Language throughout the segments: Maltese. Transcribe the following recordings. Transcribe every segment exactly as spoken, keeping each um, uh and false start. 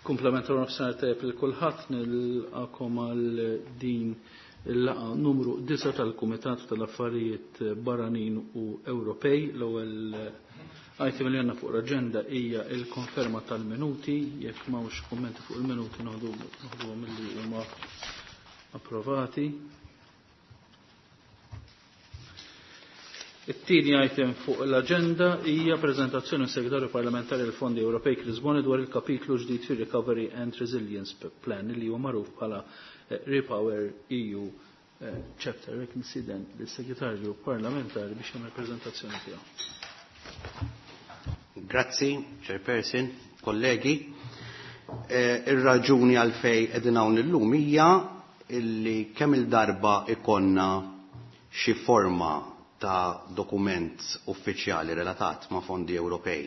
Kumplament nofsinhar tajjeb lil kulħadd, nilqakom għal din il-laqgħa numru disgħa tal-Kumitat tal-Affarijiet Barranin u Ewropej. L-ewwel item li għandna fuq l-aġenda hija l-konferma tal-minuti. Jekk m'hawnx kummenti fuq il-minuti, noħduhom milli huma approvati. It-tieni item fuq l-aġenda hija preżentazzjoni mis-Segretarju Parlamentari għall Fondi Ewropej Chris Bonett dwar il-kapitlu ġdid fir-Recovery and Resilience Plan, li huwa magħruf bħala Repower E U chapter. Jekk nistieden lis-Segretarju Parlamentari biex jagħmel preżentazzjoni tiegħu. Grazzi, Chairperson, kollegi. Ir-raġuni għalfejn qegħdin hawn illum hija illi kemm il-darba ikonna xi forma ta' dokument uffiċjali relatat ma' fondi Ewropej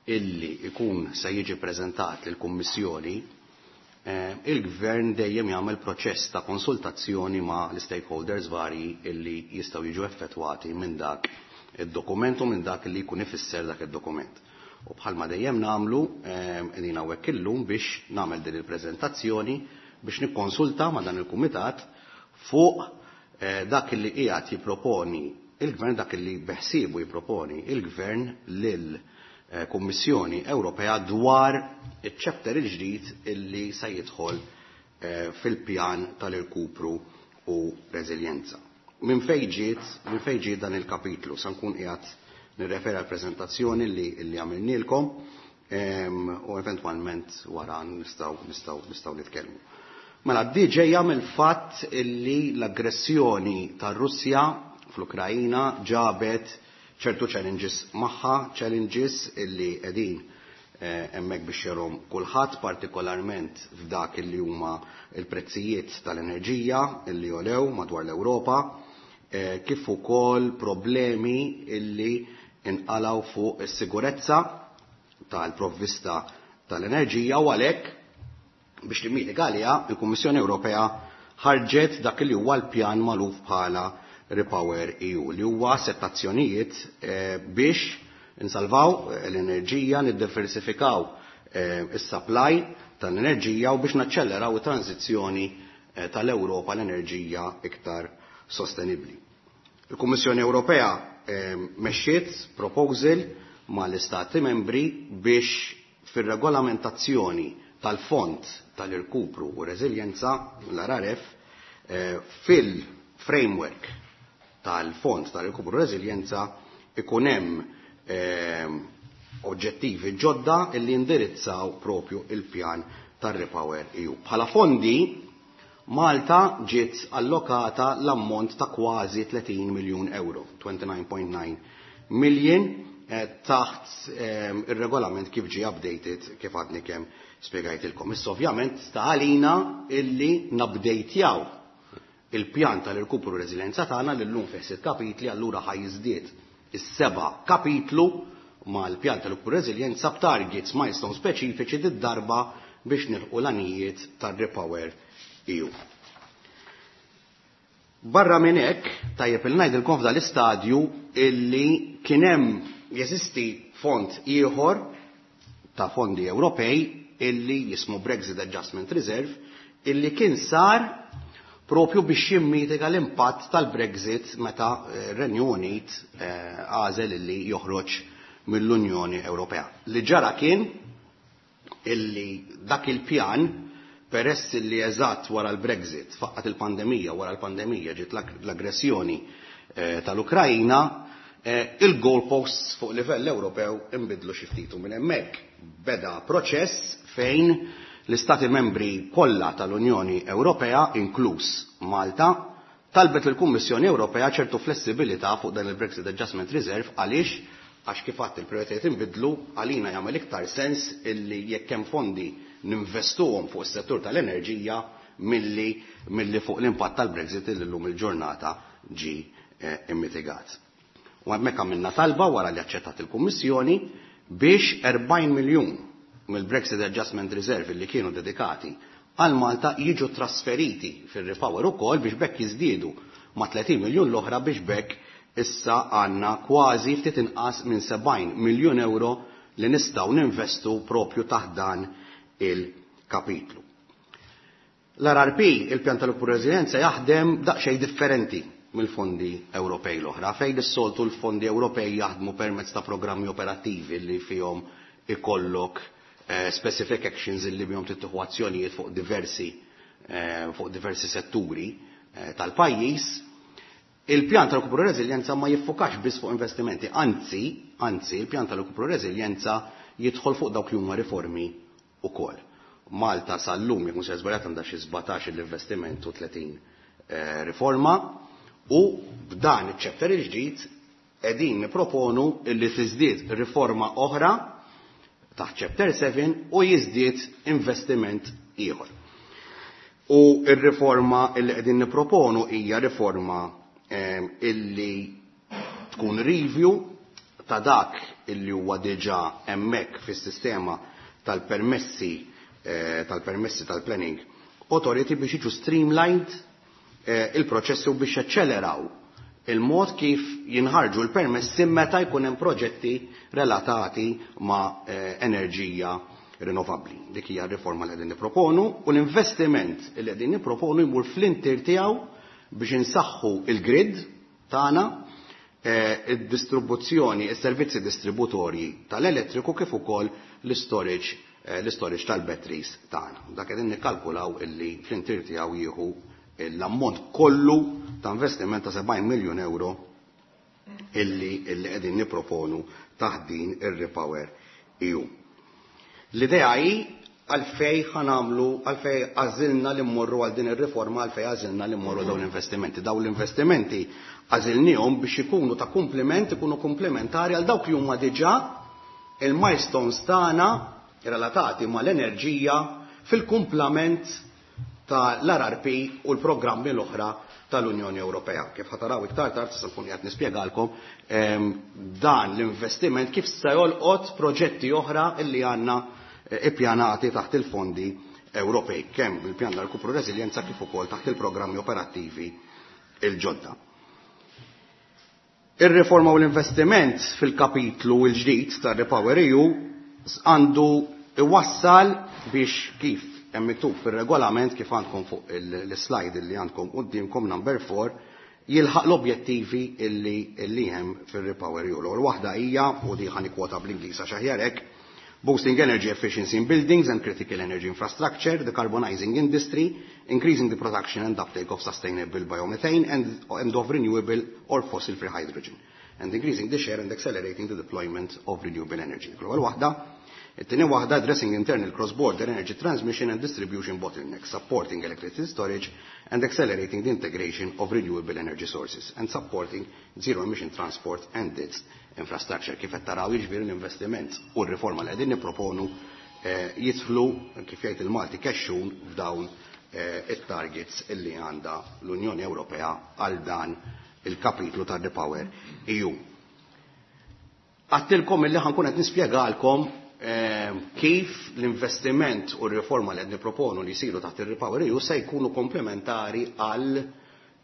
illi ikun se jiġi preżentat lill kummissjoni, il-gvern dejjem jagħmel proċess ta' konsultazzjoni ma' l-stakeholders varji illi jistgħu jiġu effettwati minn dak id-dokument u minn dak li jkun ifisser dak id-dokument. U bħalma dejjem nagħmlu, qegħdin hawnhekk illum biex nagħmel din il-preżentazzjoni biex nikkonsulta ma' dan il-kumitat fuq dak li qiegħed jipproponi il-gvern, dak li beħsiebu jipproponi il-gvern lil Kummissjoni Ewropea dwar iċ-chapter il-ġdid illi se jidħol fil-pjan tal-irkupru u reżiljenza. Minn fejn ġiet, minn fejn ġiet dan il-kapitlu? Sa nkun qiegħed nirreferi għal preżentazzjoni li li għamilnielkom u eventwalment wara nistgħu nistgħu nistgħu nitkellmu. Mela, di ġejja mill-fatt illi l-aggressjoni tar-Russja fl-Ukrajina ġabet ċertu challenges magħha, challenges illi qegħdin hemmhekk biex jarahom kulħadd, partikolarment f'dak illi huma l-prezzijiet tal-enerġija illi għolew madwar l-Ewropa, kif ukoll problemi illi inqalgħu fuq is-sigurezza tal-provvista tal-enerġija. U għalhekk, biex timmitiga għaliha, il-Kummissjoni Ewropea ħarġet dak li huwa l-pjan magħruf bħala Repower E U, li huwa sett azzjonijiet biex insalvaw l-enerġija, niddiversifikaw is-supply tal-enerġija u biex naċċelleraw it-tranzizzjoni tal-Ewropa l-enerġija iktar sostenibbli. Il-Kummissjoni Ewropea mexxiet proposal mal-Istati membri biex fir-regolamentazzjoni tal-Fond tal-Irkupru u Reżiljenza, l-R R F, fil-framework tal-Fond tal-Irkupru u Reżiljenza ikun hemm oġġettivi ġodda illi indirizzaw propju il-pjan tar-Repower E U. Bħala fondi, Malta ġiet allokata l-ammont ta' kważi tletin miljun euro, twenty-nine point nine million, taħt ir-regolament kif ġie updated, kif għadni kemm spjegajtilkom. Issa ovvjament sta għalina illi nupdatjaw il-pjan tal-irkupru reżiljenza tagħna li llum fih sitt kapitli, allura ħa jiżdied is-seba' kapitlu mal-pjan tal-irkupru reżiljenza b'targets, milestone speċifiċi did-darba biex nilħqu l-għanijiet tar-Repower E U. Barra minn hekk, tajjeb il ngħidilkom f'dan l-istadju illi kien hemm, jeżisti fond ieħor ta' fondi Ewropej illi jismu Brexit Adjustment Reserve, illi kien sar propju biex jimmitiga l-impatt tal-Brexit meta r-Renju Unit għażel illi joħroġ mill-Unjoni Ewropea. Li ġara kien illi dak il-pjan, peress illi eżatt wara l-Brexit faqqat il-pandemija, wara l-pandemija ġiet l-aggressjoni tal-Ukrajna, il-goalposts fuq livell Ewropew inbidlu xi ftit u minn hemmhekk beda proċess fejn l-Istati membri kollha tal-Unjoni Ewropea, inkluż Malta, talbet lill-Kummissjoni Ewropea ċertu flessibilità fuq dan il-Brexit Adjustment Reserve. Għaliex? Għax kif għadt, il-prijoritajiet inbidlu, għalina jagħmel iktar sens illi jekk hemm fondi ninvestuhom fuq is-settur tal-enerġija milli milli fuq l-impatt tal-Brexit illi llum il-ġurnata ġi immitigat. U hemmhekk għamilna talba, wara li aċċettat il-Kummissjoni, biex erbgħin miljun mill-Brexit Adjustment Reserve li kienu dedikati għal Malta jiġu trasferiti fil-Repower ukoll, biex b'hekk jiżdiedu ma' tletin miljun l-oħra, biex b'hekk issa għandna kważi ftit inqas minn sebgħin miljun euro li nistgħu ninvestu propju taħt dan il kapitlu. L-R R P, il-pjan tal-rkupru reżiljenza, jaħdem daqsxejn differenti mill-fondi Ewropej l-oħra, fejn is-soltu l-fondi Ewropej jaħdmu permezz ta' programmi operattivi li fihom ikollok eh, specific actions li bihom tittieħu azzjonijiet fuq diversi eh, fuq diversi setturi eh, tal-pajjiż. Il-pjan tal-rkupru reżiljenza ma jiffokax biss fuq investimenti, anzi, anzi, il-pjan tal-rkupru reżiljenza jidħol fuq dawk li huma riformi ukoll. Malta sal-lum, jekk mhux żbaljat, għandha xi sbatax l-investiment u tletin eh, riforma u b'dan iċ-chapter il-ġdid qegħdin nipproponu illi tiżdied riforma oħra taħt chapter seba u jiżdied investiment ieħor. U ir-riforma illi qegħdin nipproponu hija riforma eh, illi tkun review ta' dak illi huwa diġà hemmhekk fis-sistema tal-permessi eh, tal-permessi tal-planning authority biex jiġu streamlined eh, il-proċessi u biex jaċċeleraw il-mod kif jinħarġu l-permessi meta jkun hemm proġetti relatati ma' eh, enerġija rinnovabbli. Dik hija r-riforma li qegħdin nipproponu u l-investiment li qegħdin nipproponu jmur fl-intier tiegħu biex insaħħu il-grid tagħna, eh, id-distribuzzjoni, is-servizzi distributorji tal-elettriku kif ukoll l-storage eh, l-storage tal-batteries tagħna. Dak qegħdin nikkalkulaw illi fl-intier tiegħu jieħu l-ammont kollu ta' investiment ta' sebgħin miljun euro illi illi qegħdin nipproponu taħt din ir-Repower E U. L-idea hi għalfej ħa nagħmlu, għalfej għażilna li mmorru għal din ir-riforma, għalfej għażilna li mmorru dawn l-investimenti. Dawn l-investimenti għażilnihom biex ikunu ta' kumpliment, ikunu komplementari għal dawk li huma diġà il-milestones tagħna relatati mal-enerġija fil-kumplament tal-R R P u l-programmi l-oħra tal-Unjoni Ewropea. Kif ħa taraw iktar tard, se nkun qed nispjegalkom ehm, dan l-investiment kif se jolqot proġetti oħra illi għandna eh, ippjanati taħt il-fondi Ewropej, kemm il-pjan tal-rkupru reżiljenza kif ukoll taħt il-programmi operattivi il-ġodda. Ir-riforma u l-investiment fil-kapitlu l-ġdid tar-Repower E U għandu iwassal biex, kif hemm miktub fir-regolament, kif għandkom fuq l-slide li għandkom quddiemkom number four, jilħaq l-objettivi illi illi hemm fir-Repower E U. L-ewwel waħda hija, u di ħa nikkwota bl-Ingliż għax aħjar hekk, boosting energy efficiency in buildings and critical energy infrastructure, decarbonizing industry, increasing the production and uptake of sustainable biomethane and, and of renewable or fossil-free hydrogen, and increasing the share and accelerating the deployment of renewable energy. L-ewwel waħda. It-tieni waħda, addressing internal cross-border energy transmission and distribution bottlenecks, supporting electricity storage and accelerating the integration of renewable energy sources and supporting zero emission transport and its infrastructure. Kif qed taraw, jiġifieri, l-investiment u r-riforma li qegħdin nipproponu eh, jidħlu, kif jgħid il-Malti, kexxun f'dawn eh, it-targets illi għandha l-Unjoni Ewropea għal dan il-kapitlu ta' Repower E U. Għedtilkom illi ħa nkun qed nispjegalkom eh, kif l-investiment u r-riforma li qed nipproponu li jsiru taħt ir-Repower E U se jkunu komplementari għal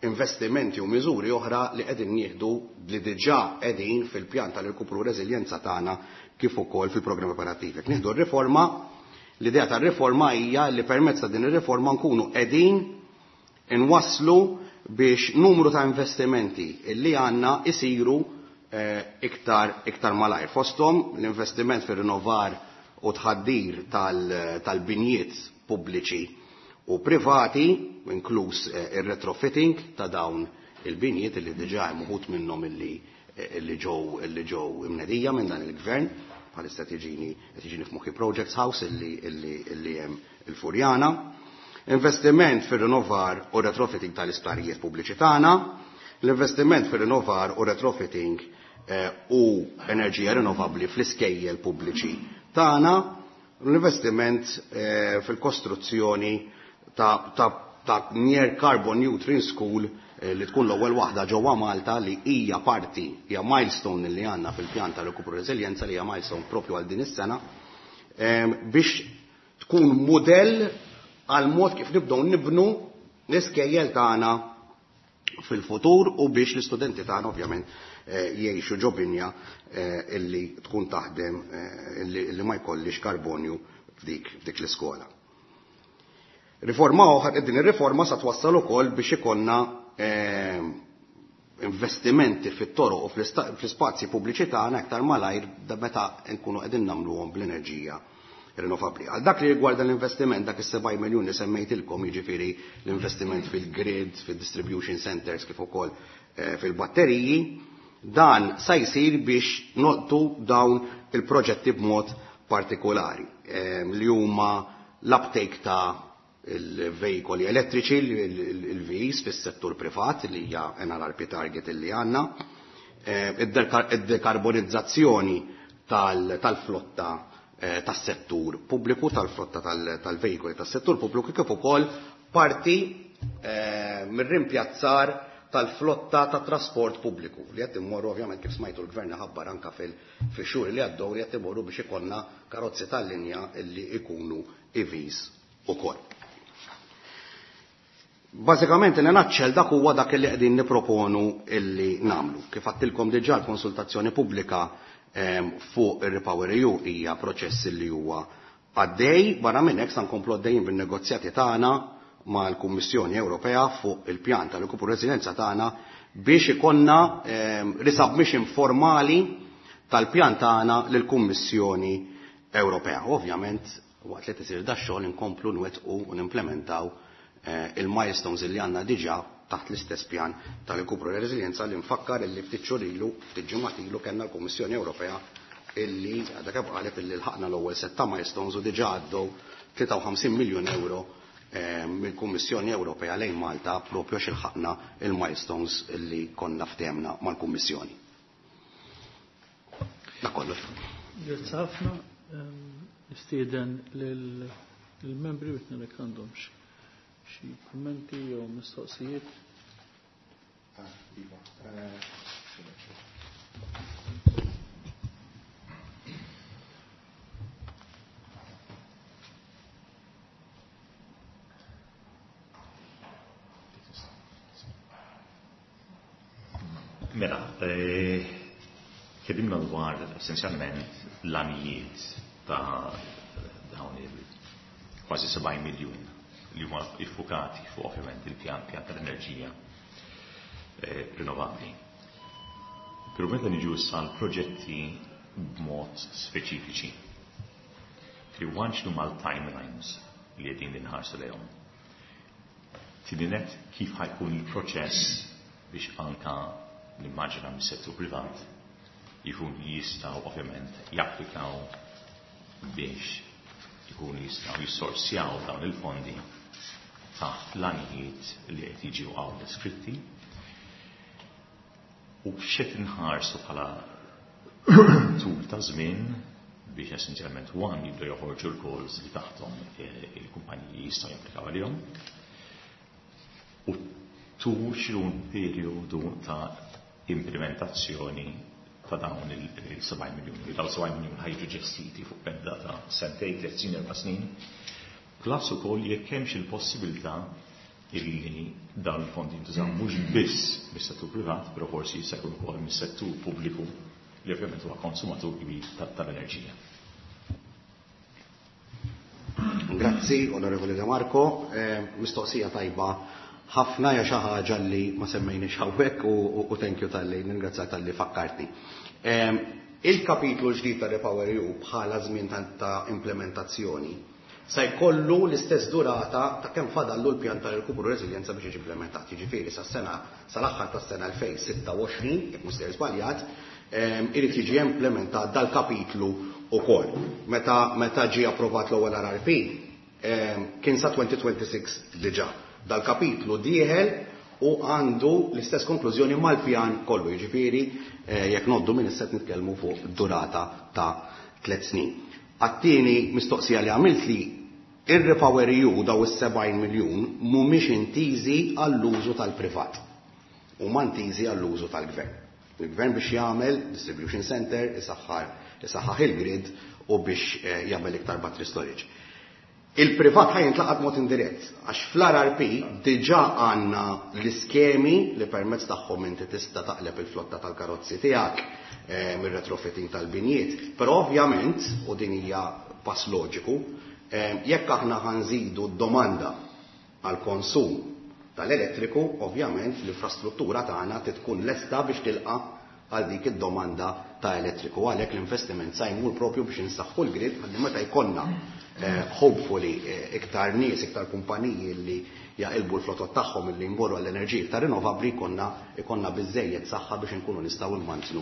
investimenti u miżuri oħra li qegħdin nieħdu, li diġà qegħdin fil-pjan tal-irkupru reżiljenza tagħna kif ukoll fil-programm operattiv. Jekk nieħdu r-riforma, l-idea tar-riforma hija li permezz ta' din ir-riforma nkunu qegħdin inwasslu biex numru ta' investimenti illi għandna isiru eh, iktar, iktar malajr. Fosthom l-investiment fir-rinnovar u tħaddir tal-binjiet pubbliċi u privati, inkluż eh, ir-retrofitting ta' dawn il-binjiet illi diġà hemm uħud minnhom illi eh, illi ġew illi ġew imnedija minn dan il-gvern, bħalissa tiġini tiġini f'moħħi Projects House illi illi illi hemm il-Furjana. Investiment fir-rinnovar u retrofitting tal-isptarijiet pubbliċi tagħna, l-investiment fir-rinnovar u retrofitting eh, u enerġija rinnovabbli fl-iskejjel pubbliċi tagħna, l-investiment eh, fil-kostruzzjoni ta', ta, ta' near carbon neutral school eh, li tkun l-ewwel waħda ġewwa Malta, li hija parti, hija milestone li għandna fil-pjan ta' rikupru reżiljenza, li hija milestone propju għal din is-sena, eh, biex tkun modell għal mod kif nibdew nibnu l-iskejjel tagħna fil-futur u biex l-istudenti tagħna ovvjament eh, jgħixu ġo binja eh, illi tkun taħdem eh, illi, illi ma jkollix karbonju f'dik, f'dik l-iskola. Riforma oħra, din ir-riforma sa twassal ukoll biex ikollna eh, investimenti fit-toroq u fl-ispazji pubbliċi tagħna aktar malajr meta nkunu qegħdin nagħmluhom bl-enerġija rinnovabbli. Għal dak li rigwarda l-investiment, dak is-sebgħin miljun li semmejtilkom, jiġifieri l-investiment fil-grid, fil-distribution centers kif ukoll eh, fil-batteriji, dan sa jsir biex nolqtu dawn il-proġetti b'mod partikolari eh, li huma l-uptake ta' il-veikoli elettriċi, il-V Es fis-settur privat li hija N R R P target li għandna, eh, id-dekarbonizzazzjoni tal-flotta eh, tas-settur pubbliku, tal-flotta tal-veikoli tas-settur pubbliku, kif ukoll parti eh, mir-rimpjazzar tal-flotta ta' trasport pubbliku li qed immorru, ovvjament, kif smajtu l-gvern ħabbar anka fil-xhur li għaddew, li qed imorru biex ikollna karozzi tal-linja li ikunu E Vs ukoll. Bażikament, in a nutshell, dak huwa dak li qegħdin niproponu illi nagħmlu. Kif għedtilkom diġà, l-konsultazzjoni pubblika ehm, fuq ir-Repower E U hija proċess li huwa għaddej. Barra minn hekk sa nkomplu għaddejjin bin-negozjati tagħna mal-Kummissjoni Ewropea fuq il-pjan tal-irkupru reżiljenza tagħna biex ikollna ehm, resubmission formali tal-pjan tagħna lill-Kummissjoni Ewropea. Ovvjament, waqt li tisir da xogħol inkomplu nwettqu u nimplementaw eh, il-milestones li għandna diġà taħt l-istess pjan tal-irkupru reżiljenza, li nfakkar illi ftit xhur ilu, ftit ġimgħat ilu, kellna l-Kummissjoni Ewropea illi għadha kemm qalet illi lħaqna l-ewwel setta milestones u diġà għaddew tlieta u ħamsin miljun euro eh, mill-Kummissjoni Ewropea lejn Malta propju għax ilħaqna il-milestones illi konna ftehemna mal-Kummissjoni. Dak kollox. Grazzi ħafna. Nistieden lill-membri biex nara jekk għandhomx xi kummenti jew mistoqsijiet. Ah, iva. Eh, Mela, eh, tkellimna dwar essenzjalment l-għanijiet ta' dawn il kważi sebgħin miljun li huma iffukati fuq ovvjament il-pjan pjan tal-enerġija eh, rinnovabbli. Però meta niġu issa l-proġetti b'mod speċifiċi, tri x'inhu mal-timelines li qegħdin inħarsu lejhom. Tieni nett, kif ħa jkun il-proċess biex anka nimmaġina mis-settur privat jkun jistgħu ovvjament japplikaw biex jkun jistgħu jissorsjaw dawn il-fondi taħt l-għanijiet li qed jiġu hawn deskritti u x'qed inħarsu bħala tul ta' żmien biex essenzjalment one jibdew joħorġu l-calls li taħthom il-kumpaniji jistgħu japplikaw għalihom u two, x'inhu periodu ta' implementazzjoni ta' dawn il-sebgħin miljun. Li dawn sebgħin miljun ħa jiġu ġestiti fuq medda ta' sentejn, tliet snin, erba' snin. Plus ukoll jekk hemmx il-possibilità illi dawn il-fondi jintużaw mhux biss mis-settur privat, però forsi jista' jkun ukoll mis-settur pubbliku li ovvjament huwa konsumatur kbir tal-enerġija. Grazzi, Onorevoli De Marco. Eh, mistoqsija tajba ħafna, ja xi ħaġa li ma semmejniex hawnhekk u, u thank you talli, ningrazzjak talli fakkartni. Il-kapitlu ġdid ta' Repower E U bħala żmien ta' implementazzjoni sa jkollu l-istess durata ta' kemm fadallu l-pjan tal-irkupru reżiljenza biex jiġi implementat. Jiġifieri sas-sena sal-aħħar tas-sena elfejn u sitta u għoxrin, jekk mhux sejjer żbaljat, irid jiġi implementat dal-kapitlu ukoll. Meta meta ġie approvat l-ewwel R R P, kien sa elfejn u sitta u għoxrin diġà. Dal-kapitlu dieħel u għandu l-istess konklużjoni mal-pjan kollu, jiġifieri eh, jekk ngħoddu minn issa nitkellmu fuq durata ta' tliet snin. Għat-tieni mistoqsija li għamilt li, ir-Repower E U, daw is-sebgħin miljun mhumiex intiżi għall-użu tal-privat. Huma intiżi għall-użu tal-gvern. Il-gvern biex jagħmel distribution center, isaħħar, isaħħaħ il-grid u biex eh, jagħmel iktar battery storage. Il-privat ħa jintlaqat mod indirett, għax fl-R R P diġà għandna l-iskemi li permezz tagħhom inti tista' taqleb il-flotta tal-karozzi tiegħek eh, mir-retrofitting tal-binjiet. Però ovvjament, u din hija pass loġiku, eh, jekk aħna ħa nżidu d-domanda għal konsum tal-elettriku, ovvjament l-infrastruttura tagħna tkun lesta biex tilqa' għal dik id-domanda ta' elettriku. Għalhekk l-investiment sa jmur propju biex insaħħu l-grid ħalli meta jkollna hopefully iktar nies, iktar kumpaniji li jaqilbu l-flotot tagħhom illi jmorru għall-enerġija ta' rinnovabbli jkollna ikollna biżejjed saħħa biex inkunu nistgħu nmantnu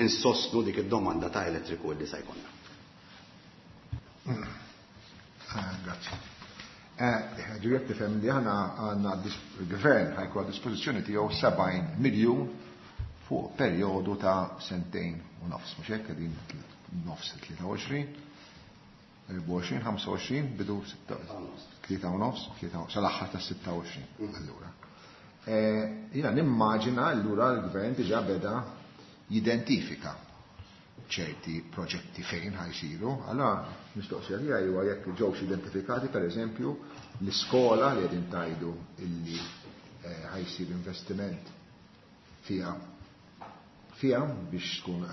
insostnu dik id-domanda ta' elettriku li sa jkollna. Grazzi. Ġifieri tifhem li aħna għandna il-gvern ħa jkun għad dispożizzjoni tiegħu sebgħin miljun fuq perjodu ta' sentejn u nofs, mhux hekk qegħdin nofs tlieta u għoxrin, erbgħa u għoxrin, ħamsa u għoxrin, bidu tlieta u nofs, sal-aħħar ta' sitta u għoxrin. Allura. Jiena nimmaġina allura l-gvern diġà beda jidentifika ċerti proġetti fejn ħajsiru. Allora mistoqsija tiegħi huwa jekk ġewx identifikati pereżempju l-iskola li qegħdin tgħidu illi ħajsir investiment fiha fiha biex tkun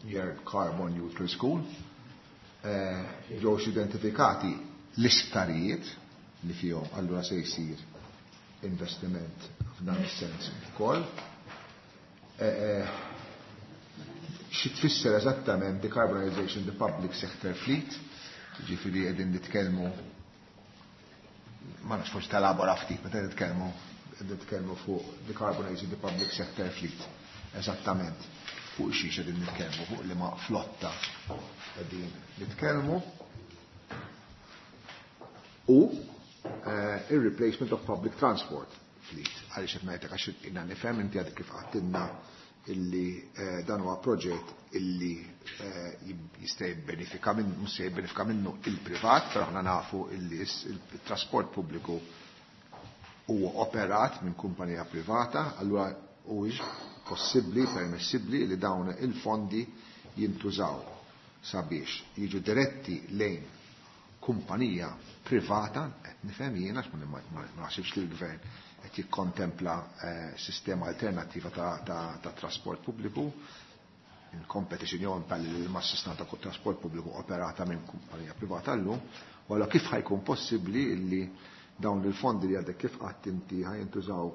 near carbon neutral school, ġewx identifikati l-isptarijiet li fihom allura se jsir investiment f'dan is-sens ukoll. Xi tfisser eżattament decarbonization the public sector fleet, ġifieri qegħdin nitkellmu, ma nafx forsi talabora ftit, meta nitkellmu nitkellmu fuq decarbonizing the public sector fleet, eżattament fuq xiex qegħdin nitkellmu, fuq liema flotta qegħdin nitkellmu, u il-replacement of public transport fleet. Għaliex qed ngħidlek għax jiena nifhem inti għadek kif għedtilna illi dan huwa proġett illi jista' jibbenefika minn, mhux se jibbenefika minnu il-privat, però aħna nafu illi il-trasport pubbliku huwa operat minn kumpanija privata, allura huwiex possibbli, permessibbli li dawn il-fondi jintużaw sabiex jiġu diretti lejn kumpanija privata, qed nifhem jiena għax ma naħsibx li l-gvern qed jikkontempla sistema alternattiva ta' trasport pubbliku, il-competition jew impalli ma' sistema ta' trasport pubbliku operata minn kumpanija privata llum, u allura kif ħajkun possibbli illi dawn il-fondi li għadek kif qatt inti ħajintużaw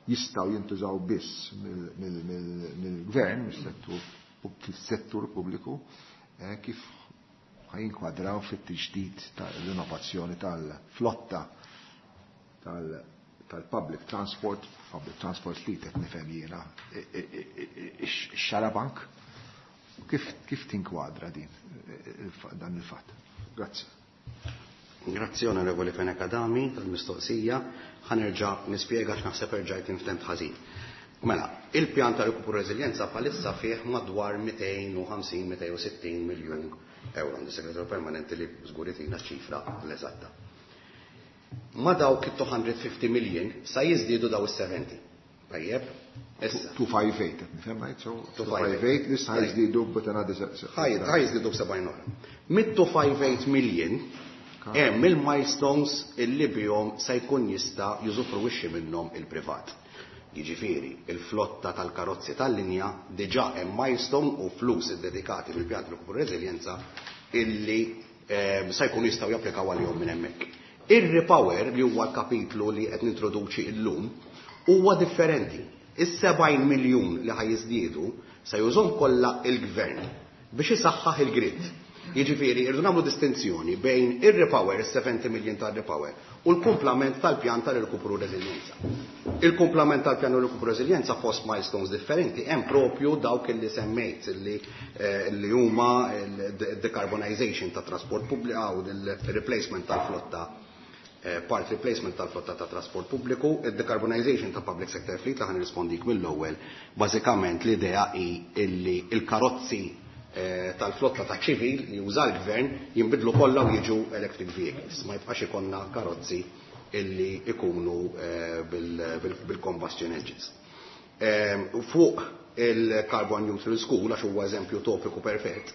jistgħu jintużaw biss mill-gvern, mis-settur pubbliku, kif ħajinkwadraw fit-tiġdid tal-innovazzjoni tal-flotta tal-public transport, public transport fleet qed nifhem jiena, ix-xarabank, kif tinkwadra din dan il-fatt? Grazzi. Grazzi Onorevoli Fenech Adami tal-mistoqsija, ħa nerġa' nispjega x'naħseb erġajt inftemt ħażin. Mela, il-pjan ta' rikupru reżiljenza bħalissa fih madwar mitejn u ħamsin, mitejn u sittin miljun euro. Għandi segretarju permanenti li żgur jtina ċifra l-eżatta. Ma dawk it-two hundred fifty million sa jiżdiedu daw is-seventy. Tajjeb? Issa. two five eight, qed nifhem ngħid, so two five eight li sa jiżdiedu b'tanadi se- se- Ħaj jiżdiedu b'sebgħin oħra. Mit-two five eight million hemm il-milestones illi bihom se jkun jista' jużufruwixxi minnhom il-privat. Jiġifieri, il-flotta tal-karozzi tal-linja diġà hemm milestone u flus iddedikati mill-pjan ta' rikupru reżiljenza illi sa jkunu jistgħu japplikaw għalihom minn hemmhekk. Ir-repower li huwa l-kapitlu li qed nintroduċi llum huwa differenti. Is-sebgħin miljun li ħaj jiżdiedu se jużhom kollha il-gvern biex isaħħaħ il-grid. Jiġifieri, irridu nagħmlu distinzjoni bejn ir-repower, is-seventy million tar-repower, u l-kumplament tal-pjan tal-irkupru reżiljenza. Il-kumplament tal-pjan tal-irkupru reżiljenza fost milestones differenti hemm propju dawk li semmejt li, li huma il-decarbonization ta' trasport pubbliku u il-replacement tal-flotta, part replacement tal-flotta ta' trasport pubbliku, il-decarbonization ta' public sector fleet li ħan nirrispondik mill-ewwel. Bażikament l-idea hi illi il-karozzi tal-flotta ta' ċivil li juża l-gvern jinbidlu kollha u jiġu electric vehicles. Ma jibqax ikollna karozzi illi ikunu bil-combustion engines. Fuq il-Carbon Neutral School, għax huwa eżempju topiku perfett,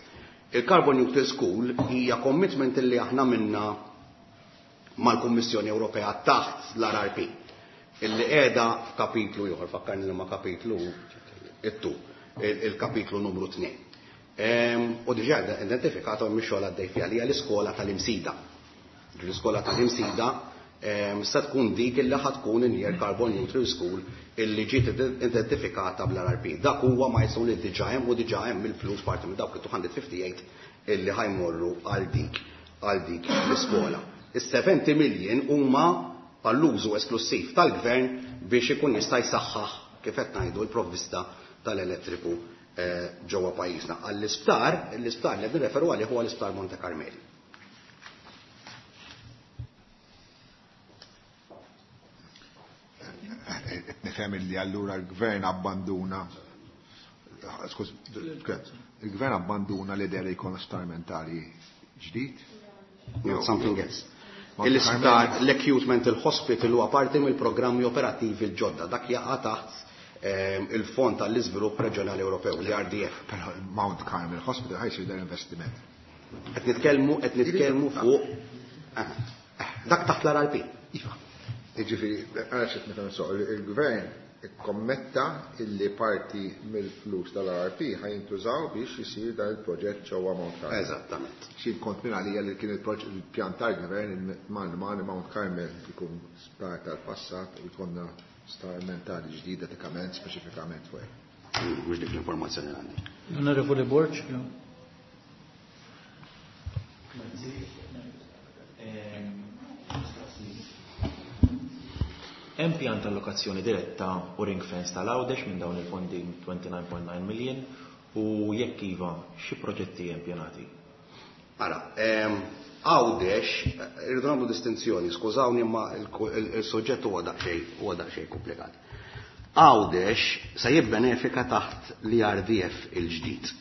il-Carbon Neutral School hija commitment illi aħna minna mal-Kummissjoni Ewropea taħt l-R R P, illi qiegħda f'kapitlu ieħor, fakkarni li ma kapitlu it-tu, il-kapitlu numru tnejn. U diġà identifikata mhix xogħol għaddej fiha li hija l-iskola tal-Imsida. L-iskola tal-Imsida sa tkun dik illi ħa tkun in-near carbon neutral school illi ġiet identifikata bl-R R P. Dak huwa milestone li diġà hemm u diġà hemm il-flus, parti minn dawk il-two hundred fifty-eight illi ħa jmorru għal dik għal dik l-iskola. Is-seventy million huma għall-użu esklusiv tal-gvern biex ikun jista' jsaħħaħ, kif qed ngħidu, l-provvista tal-elettriku eh, ġewwa pajjiżna. Għall-isptar, l-isptar li qed nirreferu għalih huwa l-isptar Monte Carmeli. Qed nifhem li allura l-gvern abbanduna, skuż, il-gvern abbanduna l-idea li jkun sptar mentali ġdid? Not something else. Monte Il-isptar, l-acute mental hospital huwa parti mill-programmi operattivi l-ġodda. Dak jaqa' taħt ehm, il-Fond tal-Iżvilupp Reġjonali Ewropew, l-R D F. Però Mount Carmel Hospital ħa jsir dan investiment. Qed nitkellmu qed nitkellmu fuq ah, dak taħt l-R R P. Iva. Jiġifieri, għara x'qed nifhem so, il-gvern ikkommetta illi parti mill-flus tal-R R P ħa jintużaw biex jisir dan il-proġett ġewwa Mount Carmel. Eżattament. Xi kont minn għalija li kien il-proġett, il-pjan tal-gvern, man man Mount Carmel ikun sptar tal-passat u jkollna sptar mentali ġdida dedikament speċifikament fuq hekk. Mm, Mhux dik l-informazzjoni li għandi. Onorevoli Borg. Jo. Hemm pjan ta' allokazzjoni diretta u ring fence tal-Għawdex minn dawn il-fondi twenty-nine point nine million u jekk iva, xi proġetti hemm pjanati? Ara, ehm, Għawdex, irridu nagħmlu distinzjoni, skużawni, ma il-soġġett huwa daqsxejn huwa daqsxejn komplikat. Għawdex se jibbenefika taħt l-R D F il-ġdid.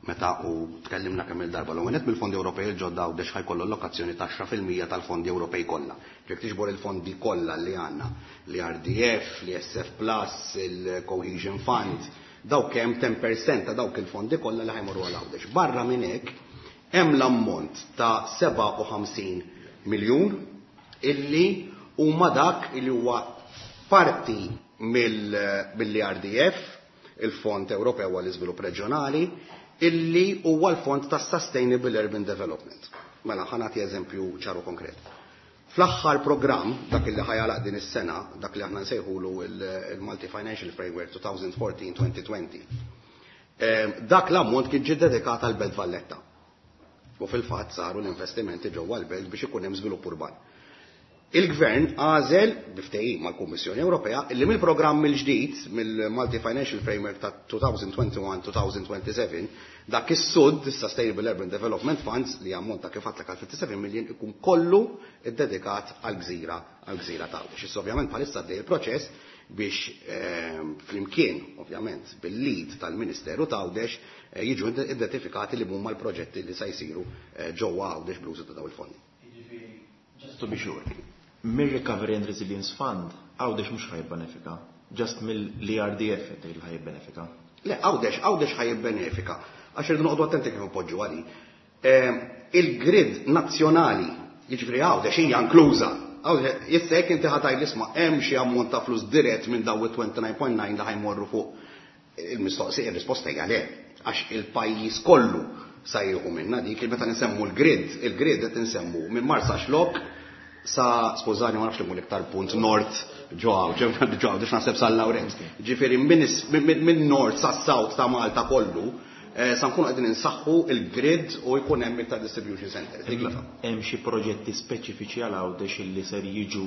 Meta u tkellimna kemm il-darba l net mill-fondi Ewropej il-ġodda, Għawdex ħa jkollu allokazzjoni ta' għaxra fil-mija tal-fondi Ewropej kollha. Jekk tiġbor il-fondi kollha li għandna, l-R D F, l-E S F Plus, il-Cohesion Fund, dawk hemm ten percent ta' dawk il-fondi kollha li ħa jmorru għal Għawdex. Barra minn hekk hemm l-ammont ta' sebgħa u ħamsin miljun illi huma dak illi huwa parti mill-R D F, il-Fond Ewropew għall-Iżvilupp Reġjonali, illi huwa l-Fond ta' Sustainable Urban Development. Mela, ħa nagħti eżempju ċaru konkret. Fl-aħħar programm, dak illi ħa jagħlaq din is-sena, dak li aħna nsejħulu il-Multi Financial Framework twenty fourteen twenty twenty, eh, dak l-ammont kien ġie dedikat għal Belt Valletta. U fil-fatt saru l-investimenti ġewwa l-belt biex ikun hemm żvilupp urban. Il-Gvern għażel, bi ftehim mal-Kummissjoni Ewropea, illi mill-programm il-ġdid, mill-Multi Financial Framework ta' twenty twenty-one twenty twenty-seven, dak is-SUD, Sustainable Urban Development Funds, li ammonta, kif għedtlek, għal fifty-seven million, ikun kollu iddedikat għal-gżira għal-gżira ta' Għawdex. Issa ovvjament bħalissa għaddej il-proċess biex ehm, flimkien, ovvjament, bil-lead tal-Ministeru ta' Għawdex, eh, jiġu identifikati li huma l-proġetti li sa jsiru eh, ġewwa Għawdex bl-użu ta' dawn il-fondi. Just to be sure. Mir-Recovery and Resilience Fund, Għawdex mhux ħa jibbenefika, just mill-R D F qed tgħid li ħa jibbenefika. Le, Għawdex, Għawdex ħa jibbenefika. Għax irridu noqogħdu attenti kif ipoġġu għali. Ehm, Il-grid nazzjonali, jiġifieri Għawdex hija inkluża. Għawdex, issa jekk inti ħa tgħid, isma', hemm xi ammont ta' flus dirett minn daw it-twenty-nine point nine li ħa jmorru fuq il-mistoqsija, il-risposta hija le. Għax il-pajjiż kollu sa jieħu minna dik, meta nsemmu l-grid, il-grid qed insemmu minn Marsaxlokk sa, skużani, ma nafx li iktar punt nord ġo ġo biex naħseb San Lawrenz. Ġifieri minn nord sa south ta' Malta kollu, eh, sa nkunu qegħdin insaħħu il-grid u jkun hemm iktar distribution centers. Dik iva. Hemm xi proġetti speċifiċi għal Għawdex illi ser jiġu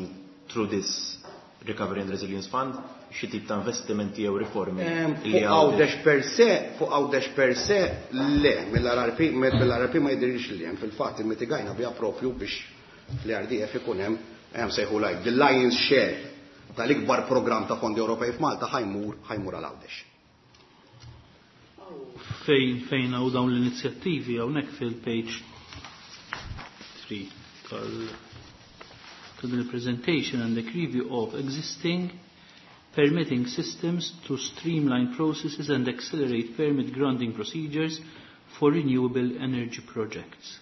through this Recovery and Resilience Fund, xi tip ta' investimenti jew riformi Ehm, illi Fuq Għawdex per se, fuq Għawdex per se, le, mill-R R P, mill-R R P ma jidhirx li hemm. Fil-fatt immitigajna biha propju biex fl-R D F ikun hemm hemm sejħu like the lion's share tal-ikbar programm ta' fondi Ewropej f'Malta ħa jmur ħa jmur għal Għawdex. Fejn fejn hawn dawn l-inizjattivi, hawnhekk fil-page three tal ta' din il-presentation għandek review of existing permitting systems to streamline processes and accelerate permit granting procedures for renewable energy projects.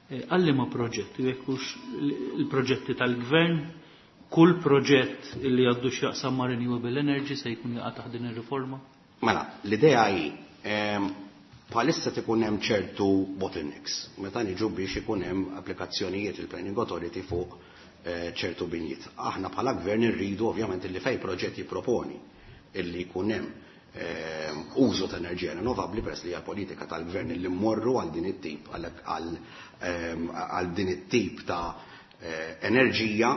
Eh, Għal liema proġetti, jekk hux il-proġetti tal-gvern, kull proġett li għandu x'jaqsam ma' renewable energy se jkun jaqa' taħt din ir-riforma? Mela, l-idea hi ehm, bħalissa tikun hemm ċertu bottlenecks meta niġu biex ikun hemm applikazzjonijiet il-Planning Authority fuq ċertu binjiet. Aħna bħala gvern irridu ovvjament illi fej proġett jipproponi illi jkun hemm użu ta' enerġija rinnovabbli, peress li hija politika tal-gvern illi mmorru għal din it-tip għal din it-tip ta' enerġija,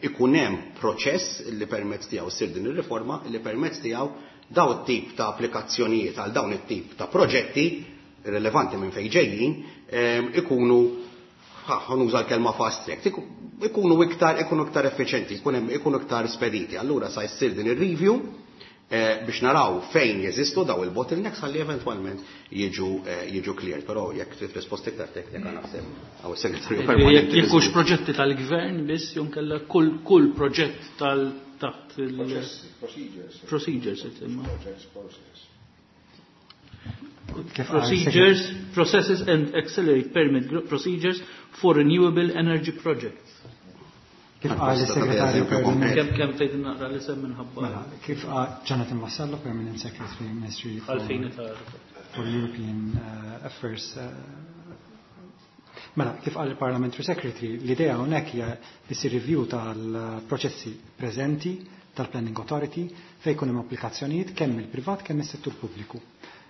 ikun hemm proċess li permezz tiegħu ssir din ir-riforma, li permezz tiegħu daw it-tip ta' applikazzjonijiet għal dawn it-tip ta' proġetti rilevanti minn fejn ġejjin ikunu, ħanuża l-kelma fast track, ikunu iktar ikunu iktar effiċenti, ikunu iktar spediti. Allura sa jsir din ir-review biex naraw fejn jeżistu daw il-bottlenecks ħalli eventwalment jiġu jiġu cleared. Però jekk trid risposta iktar teknika, naħseb għaw is-segretarju permanenti. Jekk hux proġetti tal-gvern biss jew kellha kull kull proġett tal taħt il procedures. Procedures, Procedures, processes and accelerate permit procedures for renewable energy projects. Kif qal is-segretarju permanent. Kemm kemm tgħid naqra l-isem minħabba. Mela, kif qal Jonathan Vassallo, Permanent Secretary, Ministry for, for European uh, Affairs. Uh, mela, kif qal il-Parliamentary Secretary, l-idea hawnhekk hija li ssir review tal-proċessi preżenti tal-Planning Authority fejn jkun hemm applikazzjonijiet kemm il-privat kemm is-settur pubbliku.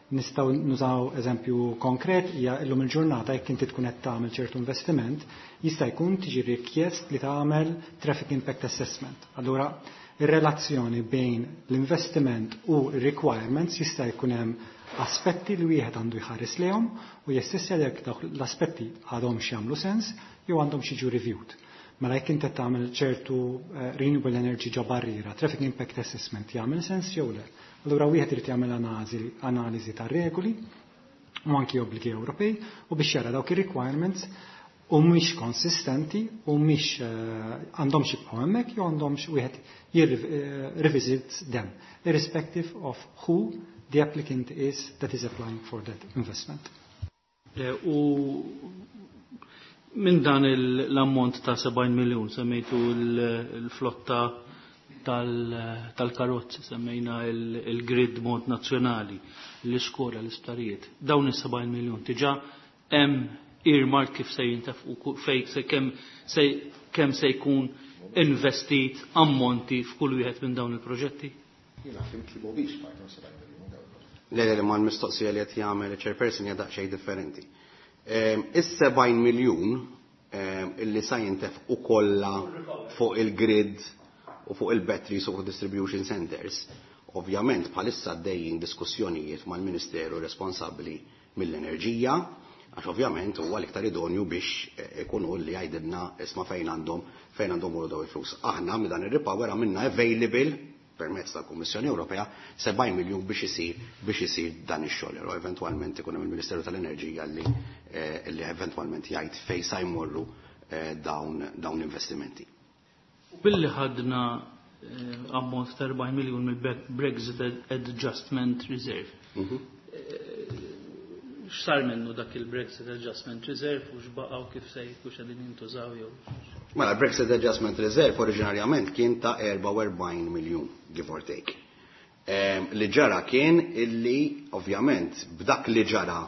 Nistgħu nużaw eżempju konkret, hija illum il-ġurnata jekk inti tkun qed tagħmel ċertu investiment, jista' jkun tiġi rikjest li tagħmel traffic impact assessment. Allura ir-relazzjoni bejn l-investiment u r-requirements jista' jkun hemm aspetti li wieħed għandu jħares lejhom u jassessja jekk dawk l-aspetti għadhomx jagħmlu sens jew għandhom jiġu reviewed. Mela jekk inti tagħmel ċertu renewable energy ġo barriera, traffic impact assessment jagħmel sens jew le. Allura wieħed irid jagħmel analiżi tar-regoli u anki obbligi Ewropej u biex jara dawk ir-requirements u mhix konsistenti u mhix għandhomx jibqgħu hemmhekk jew għandhomx wieħed revisit them, irrespective of who the applicant is that is applying for that investment. U minn dan l-ammont ta' sebgħin miljun semmejtu l-flotta tal-karozzi, semmejna il-grid mod nazzjonali, l-iskola, l-isptarijiet. Dawn is-sebgħin miljun diġà hemm earmark kif se jintefqu, fej se kemm se kemm se jkun investit ammonti f'kull wieħed minn dawn il-proġetti? Jiena fhimt li mhuwiex parti minn sebgħin miljun dawn. Le, le, ma l-mistoqsija li qed jagħmel il-chairperson hija daqsxejn differenti. Is-sebgħin miljun illi sa jintefqu kollha fuq il-grid u fuq il-batteries u fuq distribution centers, ovvjament bħalissa għaddejjin diskussjonijiet mal-Ministeru responsabbli mill-enerġija, għax ovvjament huwa l-iktar idonju biex ikunu li jgħidilna isma' fejn għandhom fejn għandhom morru daw il-flus. Aħna minn dan ir-repower għamilna available permezz tal-Kummissjoni Ewropea sebgħin miljun biex isir biex isir dan ix-xogħol. Però eventwalment ikun hemm il-Ministeru tal-Enerġija li li eventwalment jgħid fejn sa jmorru dawn dawn l-investimenti. Billi ħadna ammont ta' erbgħin miljun mill-Brexit Adjustment Reserve. X'sar minnu dak il-Brexit Adjustment Reserve u x'baqgħu kif se jkun qegħdin jintużaw jew? Mela, Brexit Adjustment Reserve oriġinarjament kien ta' erbgħa u erbgħin miljun, give or take. Li ġara kien illi, ovvjament, b'dak li ġara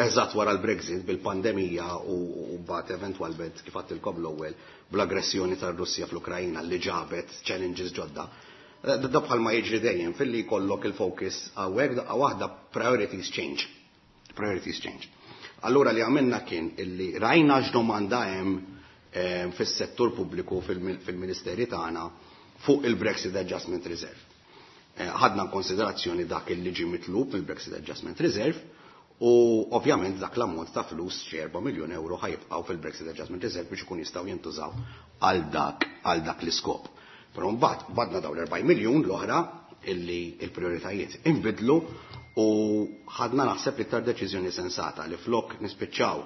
eżatt wara l-Brexit bil-pandemija u mbagħad eventwalment kif għedtilkom l-ewwel bl-aggressjoni tar-Russja fl-Ukrajna li ġabet challenges ġodda. Da bħalma jiġri dejjem filli jkollok il-focus hawnhekk daqqa waħda priorities change. Priorities change. Allura li għamilna kien illi rajna x'domanda hemm fis-settur pubbliku fil-ministeri tagħna fuq il-Brexit Adjustment Reserve. Ħadna konsiderazzjoni dak illi ġie mitlub mill-Brexit Adjustment Reserve u ovvjament dak l-ammont ta' flus xi erba' miljun euro ħajibqgħu fil-Brexit Adjustment Reserve biex ikun jistgħu jintużaw għal dak għal dak l-iskop. Però mbagħad badna dawn l-erbgħin miljun l-oħra illi l-prioritajiet inbidlu u ħadna naħseb l-iktar deċiżjoni sensata li flok nispiċċaw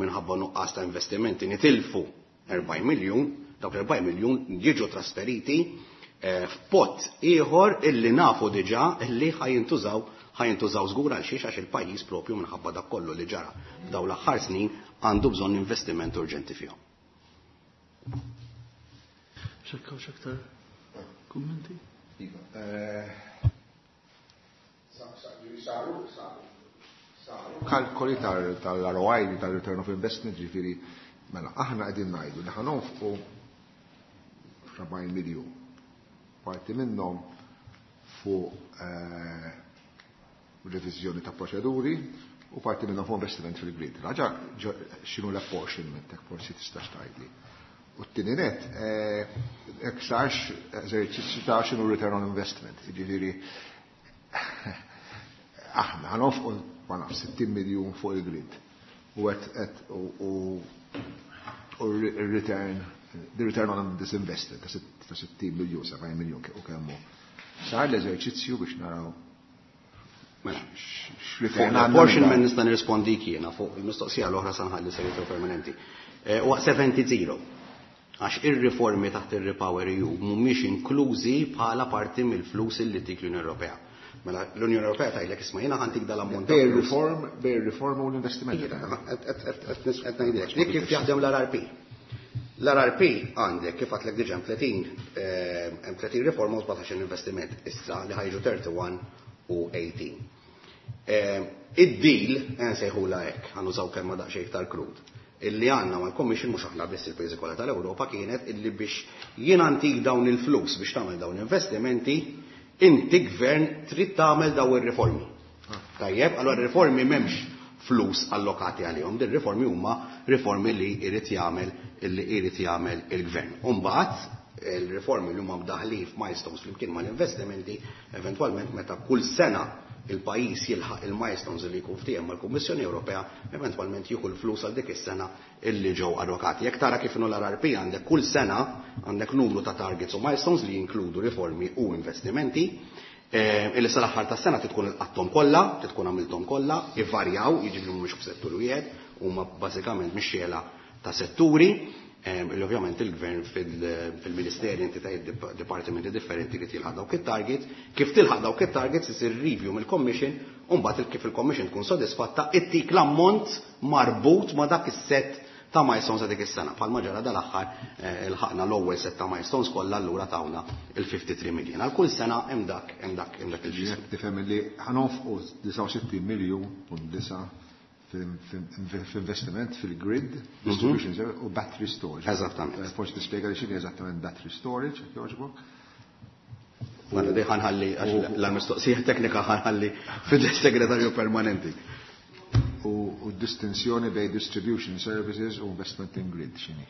minħabba nuqqas ta' investimenti nitilfu erbgħin miljun, dawk l-erbgħin miljun jiġu trasferiti f'pot ieħor illi nafu diġà illi ħajintużaw ħajintużaw żgur għal xiex, għax il-pajjiż propju minħabba dak kollu li ġara f'dawn l-aħħar snin għandu bżonn investiment urġenti fihom. Xekkaw x'aktar kummenti? Iva. Saru, saru kalkoli tal-R O I, tal-Return of Investment, ġifieri, mela, aħna qegħdin ngħidu li ħanonfqu sebgħin miljun. Parti minnhom fuq eh, reviżjoni ta' proċeduri u parti minnhom fuq investiment fil-grid. Raġa x'inhu l-apportionment, hekk forsi tistax tgħidli. U t-tieni net, hekk sarx eżerċizzju ta' x'inhu return on investment. Jiġifieri aħna ħanofqu ma naf sittin miljun fuq il-grid. U qed u return the return on this investment ta' sittin miljun, sebgħin miljun u kemmu. Sar l-eżerċizzju biex naraw Fuq l-apportionment nista' nirrispondik jiena, fuq il-mistoqsija l-oħra sa nħalli segretarju permanenti. Huwa seventy zero. Għax ir-riformi taħt ir-Repower E U mhumiex inklużi bħala parti mill-flus li tik l-Unjoni Ewropea. Mela l-Unjoni Ewropea tgħidlek isma' jiena ħantik dal-ammont ta' Bej flus. reform, bej reform u l-investiment. Qed ngħidlek, dik kif jaħdem l-R R P. L-R R P għandek kif għadlek diġà hemm tletin, eh, hemm tletin riforma u sbatax investiment issa li ħajġu thirty-one u eighteen. Eh, id-deal, eh, nsejħula hekk, ħanużaw kelma daqsxejn iktar krud, illi għandna mal-Commission, mhux aħna biss il-pajjiżi kollha tal-Ewropa, kienet illi biex jien antik dawn il-flus biex tagħmel dawn l-investimenti, inti gvern trid tagħmel dawn ir-riformi. Tajjeb, allura r-riformi m'hemmx flus allokati għalihom, din riformi huma riformi li jrid jagħmel illi jrid jagħmel il-gvern. U mbagħad il-riformi li huma mdaħlin f'milestones flimkien mal-investimenti, eventwalment meta kull sena il-pajjiż jilħaq il-milestones li jkun ftiehem mal-Kummissjoni Ewropea, eventwalment jieħu l-flus għal dik is-sena illi ġew allokati. Jekk tara kif inhu l-R R P għandek kull sena għandek numru ta' targets u milestones li jinkludu riformi u investimenti, eh, illi sal-aħħar tas-sena titkun ilqatthom kollha, titkun għamilthom kollha, ivarjaw, jiġifieri mhumiex f'settur wieħed, huma bażikament mixxiela ta' setturi, ehm, illi ovvjament il-gvern fil-, fil-ministeri, entitajiet, dip-, dipartimenti differenti li tilħaq dawk it-targets. Kif tilħaq dawk it-targets isir review mill-Commission, u mbagħad kif il-Commission tkun sodisfatta ittik l-ammont marbut ma' dak is-set ta' milestones ta' dik is-sena. Bħalma ġara dal-aħħar, eh, ilħaqna l-ewwel set ta' milestones kollha, allura tawna il-fifty-three million. Għal kull sena hemm dak, hemm dak, hemm dak il-ġisem. Jekk tifhem li ħanofqu disgħa u sittin miljun u disa' f'investiment fil-grid, Mhm. distribution service u battery storage. Eżattament. Eh, forsi tispjega li x'inhi eżattament battery storage, jekk jogħġbok. Mela, di ħanħalli, għax l-mistoqsija teknika ħanħalli fid-segretarju permanenti. U, u distinzjoni bej distribution services u investment in grid x'inhi?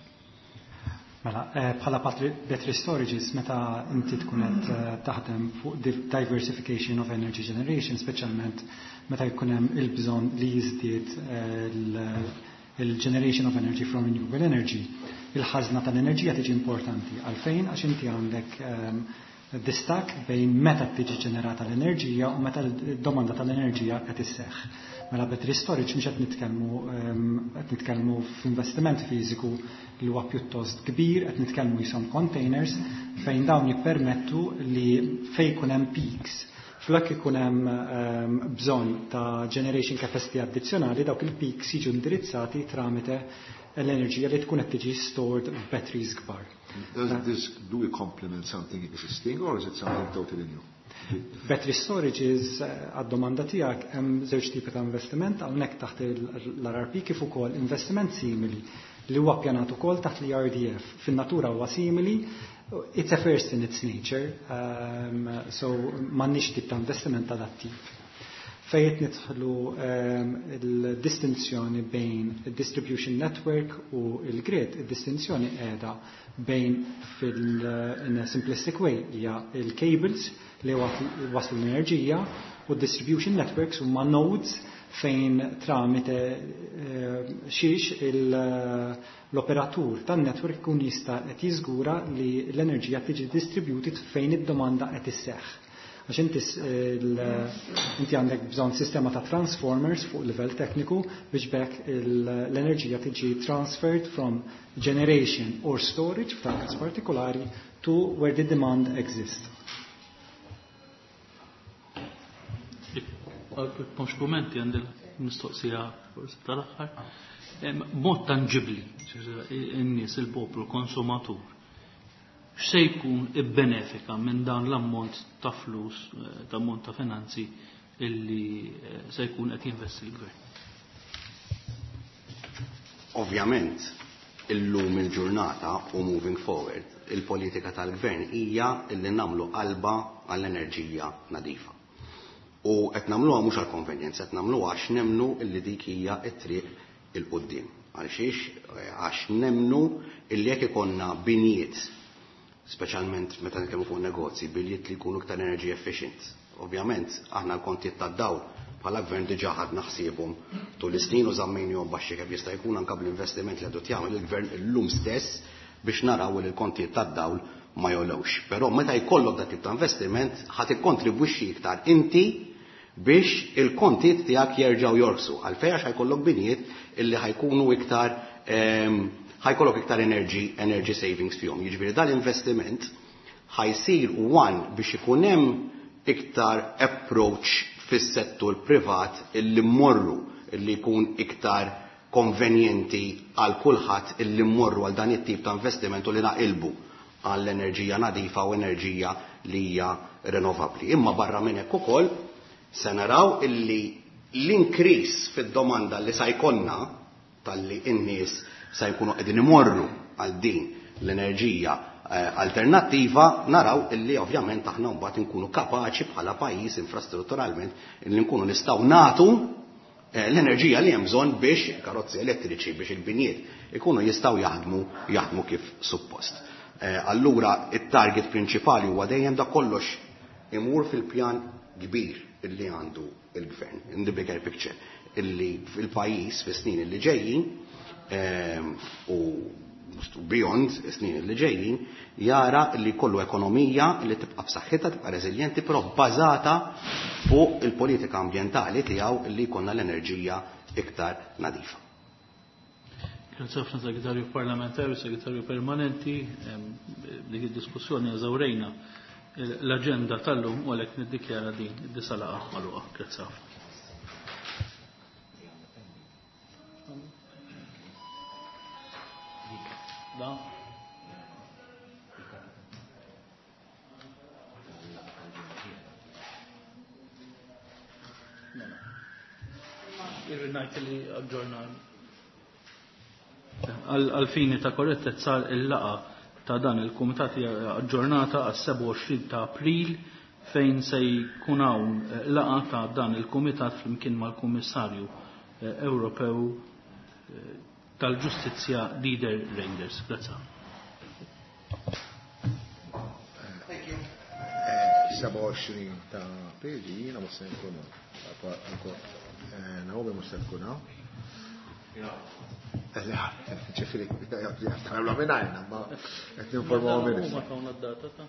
Mela, eh, bħala battery, battery storages, meta inti tkun qed, eh, taħdem fuq div-, diversification of energy generation, speċjalment meta jkun hemm il-bżonn li jiżdied, eh, l-, il-generation of energy from renewable energy, il-ħażna tal-enerġija tiġi importanti. Għalfejn? Għax inti għandek, ehm, distak bejn meta tiġi ġenerata l-enerġija u meta l-domanda tal-enerġija qed isseħħ. Mela battery storage mhux qed nitkellmu, ehm, qed nitkellmu f'investiment fiżiku li huwa pjuttost kbir, qed nitkellmu jisom containers fejn dawn jippermettu li fejn ikun hemm peaks, flok ikun hemm, ehm, bżonn ta' generation capacity addizzjonali, dawk il-peaks jiġu indirizzati tramite l-enerġija li tkun qed tiġi stored f'batteries kbar. Does this, do we complement something existing or is it something totally new? Battery storage is, eh, għad-domanda tiegħek, hemm żewġ tipi ta' investiment, hawnhekk taħt il-R R P kif ukoll investiment simili li huwa ppjanat ukoll taħt l-E R D F. Fin-natura huwa simili, it's a first in its nature, um, so m'għandniex tip ta' investiment ta' dat tip. Fejn qed nidħlu, um, il-distinzjoni bejn il-distribution network u il-grid, il-distinzjoni qiegħda bejn fil-, in a simplistic way hija il-cables li waslu l-enerġija u distribution networks huma nodes fejn tramite, eh, xiex il-, l-operatur tan-network ikun jista' qed jiżgura li l-enerġija tiġi distributed fejn id-domanda qed isseħħ. Għax inti s-, il-, inti għandek bżonn sistema ta' transformers fuq livell tekniku biex bekk il-, l-enerġija tiġi transferred from generation or storage f'dan każ partikolari to where the demand exists. Mhux kumenti għandi mistoqsija forsi tal-aħħar. Mod tangibli, in-nies, il-poplu, konsumatur, x'se jkun ibbenefika minn dan l-ammont ta' flus, eh, ta' ammont ta' finanzi illi, eh, se jkun qed jinvesti l-gvern? Ovvjament, illum il-ġurnata u moving forward, il-politika tal-gvern hija illi nagħmlu qalba għall-enerġija nadifa. U qed nagħmluha mhux għall-konvenjenza, qed nagħmluha għax nemmnu illi dik hija t-triq 'il quddiem. Għalxiex għax nemmnu illi jekk ikollna binjiet, speċjalment meta nitkellmu fuq negozji, binjiet li jkunu iktar energy efficient. Ovvjament aħna l-kontijiet tad-dawl bħala gvern diġà ħadna ħsiebhom tul is-snin u żammejnihom baxxi kemm jista' jkun anke bl-investiment li għadu jagħmel il-gvern illum stess biex naraw li l-kontijiet tad-dawl ma jogħlewx. Però meta jkollok dak tip ta' investiment ħa tikkontribwixxi iktar inti biex il-kontijiet tiegħek jerġgħu jorqsu. Għalfejn għax ħajkollok binjiet illi ħajkunu iktar ħajkollok iktar energy, energy savings fihom. Jiġifieri dal-investiment ħajsir one biex ikun hemm iktar approach fis-settur privat illi mmorru illi jkun iktar konvenjenti għal kulħadd illi mmorru għal dan it-tip ta' investiment u li naqilbu għall-enerġija nadifa u enerġija li hija rinnovabbli. Imma barra minn hekk ukoll se naraw illi l-increase fid-domanda li sa jkollna talli n-nies sa jkunu qegħdin imorru għal din l-enerġija alternattiva, naraw illi ovvjament aħna mbagħad inkunu kapaċi bħala pajjiż infrastrutturalment illi nkunu nistgħu nagħtu l-enerġija li hemm bżonn biex karozzi elettriċi biex il-binjiet ikunu jistgħu jaħdmu jaħdmu kif suppost. Allura it-target prinċipali huwa dejjem da kollox imur fil-pjan kbir illi għandu il-gvern, in the bigger picture, illi fil-pajjiż fis-snin illi ġejjin u beyond snin li ġejjin jara li kollu ekonomija li tibqa' b'saħħitha, tibqa' reżiljenti, però bbażata fuq il-politika ambjentali tiegħu li jkollna l-enerġija iktar nadifa. Grazie ħafna Segretarju Parlamentari, Segretarju Permanenti, dik id-diskussjoni eżawrejna l-aġenda tal-lum u għalhekk niddikjara din id-disa' laqgħa magħluqa. Grazie ħafna. Da. Irrid ngħid li aġġorna għal-fini ta' korrettezza il-laqa ta' dan il-kumitat aġġornata għas-sebgħa u għoxrin ta' April fejn se jkun hawn laqa ta' dan il-kumitat flimkien mal-Kummissarju Ewropew tal-Ġustizzja Didier Reynders. Grazie. Thank you. sebgħa u għoxrin ta' April jiena mhux se nkun hawn. Naomi mhux se tkun hawn. Ġifieri, tagħmlu mingħajrna, ma qed ninformaw minn. Huma tawna d-data ta'